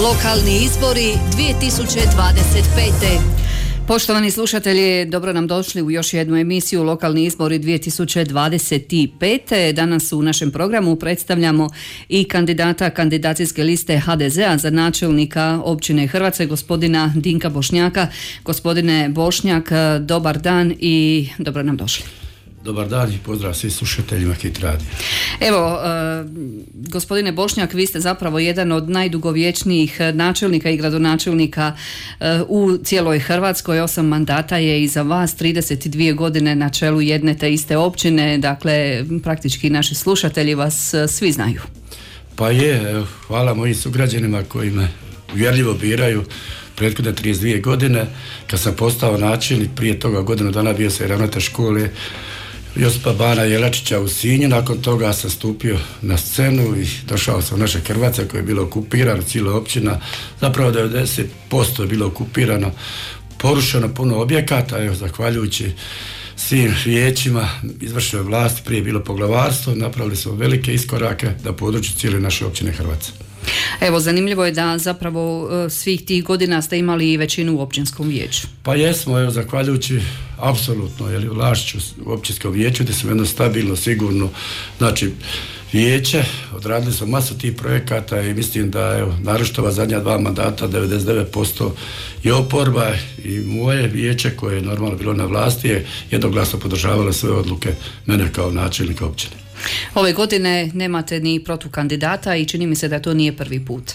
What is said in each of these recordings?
Lokalni izbori 2025. Poštovani slušatelji, dobro nam došli u još jednu emisiju Lokalni izbori 2025. Danas u našem programu predstavljamo i kandidata kandidacijske liste HDZ-a za načelnika općine Hrvace, gospodina Dinka Bošnjaka. Gospodine Bošnjak, dobar dan i dobro nam došli. Dobar dan i pozdrav svim slušateljima Hit radija. Evo, gospodine Bošnjak, vi ste zapravo jedan od najdugovječnijih načelnika i gradonačelnika u cijeloj Hrvatskoj. 8 mandata je iza vas, 32 godine na čelu jedne te iste općine, dakle praktički naši slušatelji vas svi znaju. Pa je, hvala mojim sugrađanima koji me uvjerljivo biraju. Prethodne 32 godine, kad sam postao načelnik, prije toga godinu dana bio sam i ravnatelj škole Josipa Bana Jelačića u Sinju. Nakon toga sam stupio na scenu i došao sam u naše Hrvace koje je bilo okupirano, cijela općina, zapravo 90% je bilo okupirano, porušeno puno objekata, evo, zahvaljujući svim vijećima izvršne vlasti, prije je bilo poglavarstvo, napravili smo velike iskorake na području cijele naše općine Hrvace. Evo, zanimljivo je da zapravo svih tih godina ste imali i većinu u općinskom vijeću. Pa jesmo, evo, zahvaljujući apsolutno vlašću u općinskom vijeću, gdje smo jedno stabilno, sigurno, znači vijeće, odradili smo masu tih projekata i mislim da, evo, naročito ova zadnja 2 mandata, 99% i oporba i moje vijeće koje je normalno bilo na vlasti je jednoglasno podržavalo sve odluke mene kao načelnika općine. Ove godine nemate ni protukandidata i čini mi se da to nije prvi put.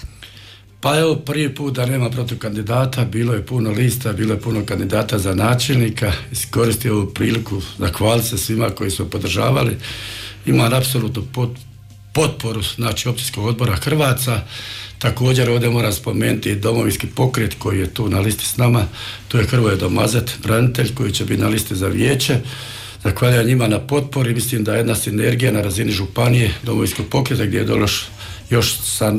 Pa evo, prvi put da nema protukandidata, bilo je puno lista, bilo je puno kandidata za načelnika. Iskoristio ovu priliku zahvaliti se svima koji su podržavali. Imam apsolutnu potporu, znači, općinskog odbora Hrvaca. Također ovdje moram spomenuti Domovinski pokret koji je tu na listi s nama. Tu je Hrvoje Domazet, branitelj koji će biti na listi za vijeće. Zahvaljujem njima na potpori. Mislim da je jedna sinergija na razini županije Domovinskog pokreta gdje je došlo još sa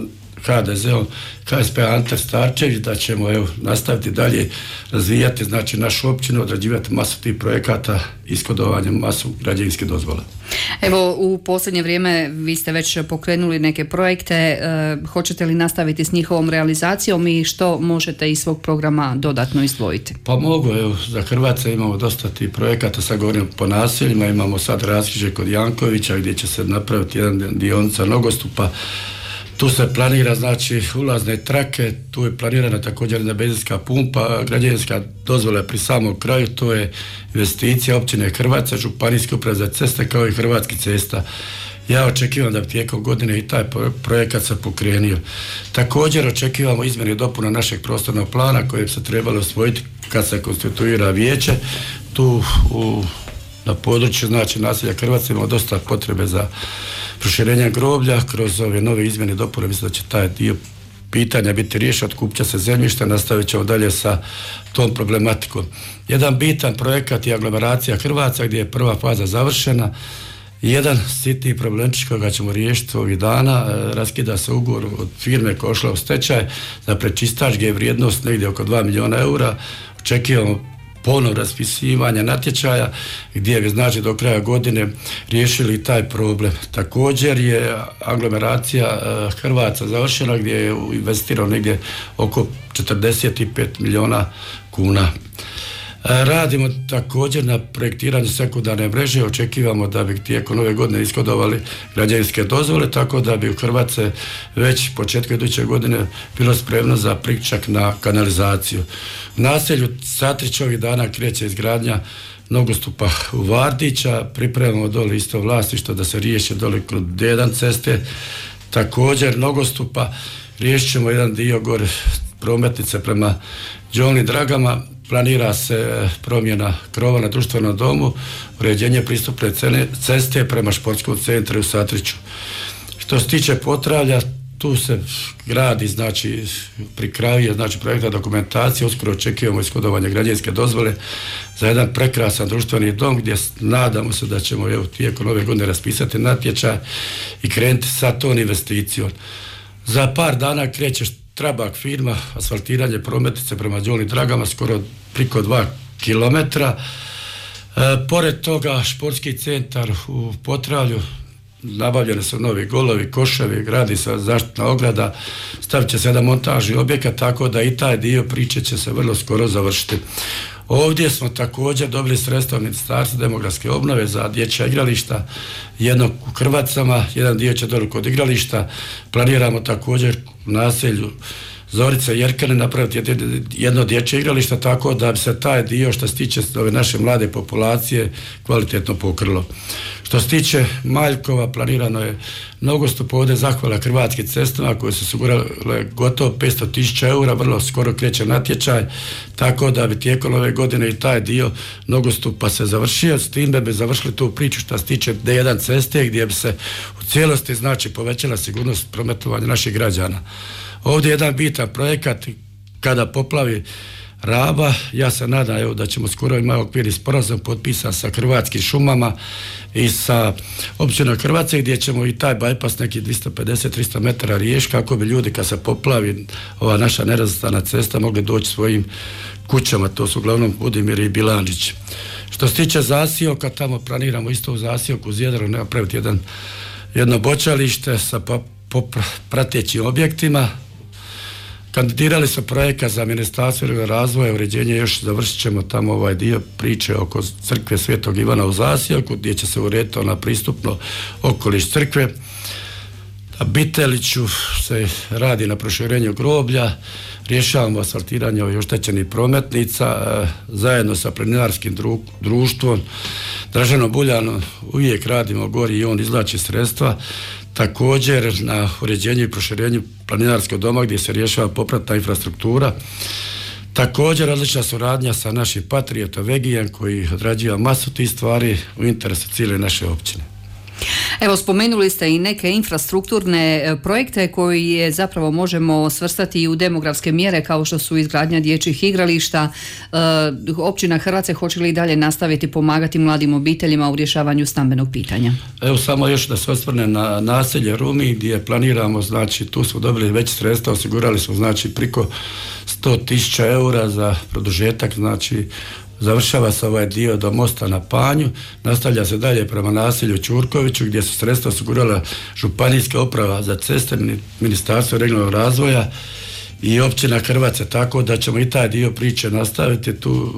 HDZ-om, KSP Ante Starčević, da ćemo, evo, nastaviti dalje razvijati, znači, našu općinu, odrađivati masu tih projekata, ishodovanjem masu građevinske dozvole. Evo, u posljednje vrijeme vi ste već pokrenuli neke projekte, hoćete li nastaviti s njihovom realizacijom i što možete iz svog programa dodatno izdvojiti? Pa mogu, evo, za Hrvatske imamo dosta tih projekata, sad govorim po naseljima, imamo sad raskrižje kod Jankovića gdje će se napraviti jedan dionica nogostupa. Tu se planira, znači, ulazne trake, tu je planirana također jedna benzinska pumpa, građevinska dozvola pri samom kraju, to je investicija općine Hrvace, županijske uprave za ceste kao i Hrvatskih cesta. Ja očekivam da bi tijekom godine i taj projekat se pokrenio. Također očekivamo izmjene i dopuna našeg prostornog plana koje bi se trebalo usvojiti kad se konstituira vijeće. Tu na području, znači, naselja Hrvatske imamo dosta potrebe za proširenje groblja. Kroz ove nove izmjene i dopune mislim da će taj dio pitanja biti riješen, otkupit će se zemljište, nastavit ćemo dalje sa tom problematikom. Jedan bitan projekat je aglomeracija Hrvaca gdje je prva faza završena. Jedan sitni problemčić koga ćemo riješiti ovih dana, raskida se ugovor od firme koja je ušla u stečaj za prečistač gdje je vrijednost negdje oko 2 milijuna eura. Očekivamo ponovno raspisivanje natječaja gdje bi, znači, do kraja godine riješili taj problem. Također je aglomeracija Hrvaca završena gdje je investirano negdje oko 45 milijuna kuna. Radimo također na projektiranju sekundarne mreže, očekivamo da bi tijekom ove godine ishodovali građevinske dozvole, tako da bi u Hrvatske već početkom iduće godine bilo spremno za priključak na kanalizaciju. U naselju Satrić ovih dana kreće izgradnja nogostupa u Vardića, pripremamo dole isto vlasništvo da se riješi dole kod D1 ceste, također nogostupa, riješit ćemo jedan dio gore prometnice prema Đoni Dragama. Planira se promjena krova na društvenom domu, uređenje pristupne ceste prema športskom centru u Satriću. Što se tiče Potravlja, tu se gradi, znači, pri kraju je, znači, projektna dokumentacija, uskoro očekujemo ishodovanje građevinske dozvole za jedan prekrasan društveni dom gdje nadamo se da ćemo, evo, tijekom ove godine raspisati natječaj i krenuti sa tom investicijom. Za par dana kreće Trabak firma, asfaltiranje prometnice prema Đoni Dragama, skoro priko 2 kilometra. Pored toga športski centar u Potravlju, nabavljene su novi golovi, koševi, gradi se zaštitna ograda, stavit će se jedan montažni objekat, tako da i taj dio priče će se vrlo skoro završiti. Ovdje smo također dobili sredstva Ministarstva demografske obnove za dječja igrališta, jedno u Hrvacama, jedan dio će dole kod igrališta. Planiramo također u naselju Zorica i Jerkane napraviti jedno dječje igralište, tako da bi se taj dio što se tiče ove naše mlade populacije kvalitetno pokrilo. Što se tiče Maljkova, planirano je nogostup, ovdje zahvala Hrvatskim cestama koje su osigurale gotovo 500.000 eura, vrlo skoro kreće natječaj, tako da bi tijekom ove godine i taj dio nogostupa se završio, s tim da bi završili tu priču što se tiče D1 ceste gdje bi se u cijelosti znači povećala sigurnost prometovanja naših građana. Ovdje je jedan bitan projekat, kada poplavi Raba, ja se nadam evo, da ćemo skoro imati okvirni sporazum potpisan sa Hrvatskim šumama i sa općinom Hrvatske, gdje ćemo i taj bajpas neki 250-300 metara riješiti kako bi ljudi kad se poplavi ova naša nerazvrstana cesta mogli doći svojim kućama, to su uglavnom Budimir i Bilandžić. Što se tiče Zasijoka, tamo planiramo isto u Zasijoku uz Jadro napraviti jedno bočalište sa pratećim objektima. Kandidirali su projekat za Ministarstvo razvoja, uređenje, još završit ćemo tamo ovaj dio priče oko crkve Svetog Ivana u Zasijoku, gdje će se urediti ona pristupno okoliš crkve. Na Biteliću se radi na proširenju groblja, rješavamo asfaltiranje ovih oštećenih prometnica, zajedno sa planinarskim društvom Draženom Buljanom uvijek radimo gori i on izvlači sredstva. Također na uređenju i proširenju planinarskog doma gdje se rješava popratna infrastruktura. Također odlična suradnja sa našim patriotom Vegijem koji odrađuje masu tih stvari u interesu cijele naše općine. Evo, spomenuli ste i neke infrastrukturne projekte koji zapravo možemo svrstati i u demografske mjere kao što su izgradnja dječjih igrališta. Općina Hrvace hoće li dalje nastaviti pomagati mladim obiteljima u rješavanju stambenog pitanja? Evo samo još da se osvrne na naselje Rumi gdje planiramo, znači tu smo dobili već sredstva, osigurali smo znači priko 100.000 eura za produžetak, znači završava se ovaj dio do mosta na Panju, nastavlja se dalje prema naselju Ćurkoviću gdje su sredstva osigurala Županijska uprava za ceste, Ministarstvo regionalnog razvoja i općina Hrvace, tako da ćemo i taj dio priče nastaviti tu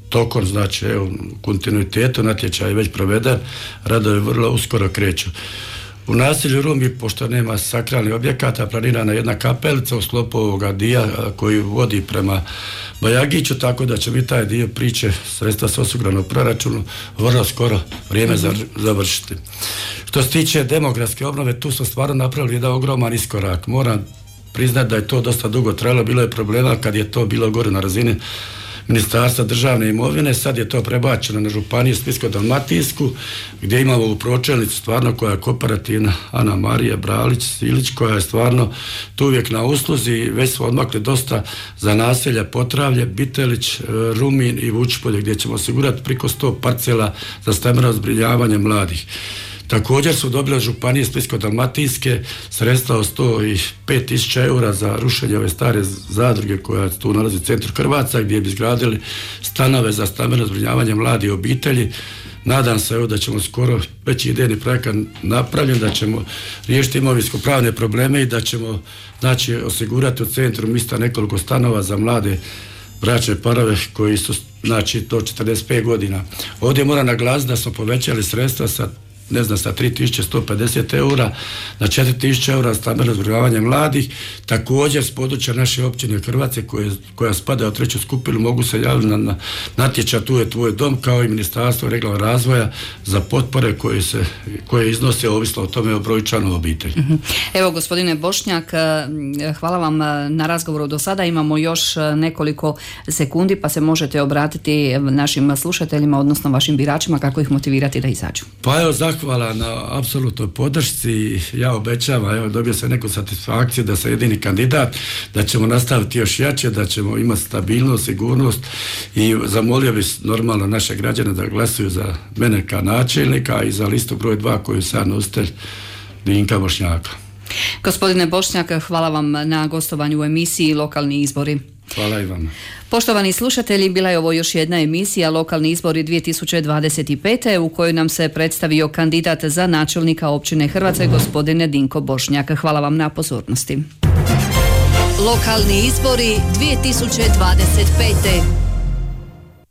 tokom, znači evo, u kontinuitetu, natječaj je već proveden, radovi vrlo uskoro kreću. U naselju Rumi, pošto nema sakralnih objekata, planirana jedna kapelica u sklopu ovoga dija koji vodi prema Bajagiću, tako da će biti taj dio priče, sredstva su osigurana u proračunu, vrlo skoro vrijeme završiti. Što se tiče demografske obnove, tu smo stvarno napravili jedan ogroman iskorak. Moram priznati da je to dosta dugo trajalo, bilo je problema kad je to bilo gore na razini Ministarstva državne imovine, sad je to prebačeno na Županiju Splitsko-dalmatinsku gdje imamo u pročelnicu stvarno koja je kooperativna Ana Marija Bralić-Silić koja je stvarno tu uvijek na usluzi. Već smo odmakli dosta za naselja Potravlje, Bitelić, Rumin i Vučpolje gdje ćemo osigurati priko 100 parcela za stambeno zbrinjavanje mladih. Također su dobili od Županije Splitsko-dalmatinske sredstva od 105.000 eura za rušenje ove stare zadruge koja tu nalazi u centru Hrvaca gdje bi izgradili stanove za stambeno zbrinjavanje mladih obitelji. Nadam se evo da ćemo skoro već idejni projekat napravljen, da ćemo riješiti imovinsko-pravne probleme i da ćemo znači osigurati u centru mjesta nekoliko stanova za mlade bračne parove koji su znači do 45 godina. Ovdje moram naglasiti da smo povećali sredstva sa 3.150 eura na 4.000 eura stambeno zbrinjavanje mladih. Također s područja naše općine Hrvatske koja spada u treću skupinu mogu se javiti na natječaj Tu je tvoj dom, kao i Ministarstvo regionalnog razvoja za potpore koje iznose ovisno o tome o broju članova obitelji. Evo, gospodine Bošnjak, hvala vam na razgovoru do sada. Imamo još nekoliko sekundi pa se možete obratiti našim slušateljima, odnosno vašim biračima, kako ih motivirati da izađu. Pa evo, zahvala na apsolutnoj podršci. Ja obećavam, evo, dobio sam neku satisfakciju da sam jedini kandidat, da ćemo nastaviti još jače, da ćemo imati stabilnost, sigurnost i zamolio bih normalno naše građane da glasuju za mene kao načelnika i za listu broj 2 koju sam nositelj Dinka Bošnjaka. Gospodine Bošnjak, hvala vam na gostovanju u emisiji Lokalni izbori. Hvala i vama. Poštovani slušatelji, bila je ovo još jedna emisija Lokalni izbori 2025. u kojoj nam se predstavio kandidat za načelnika općine Hrvace, gospodine Dinko Bošnjak. Hvala vam na pozornosti. Lokalni izbori 2025.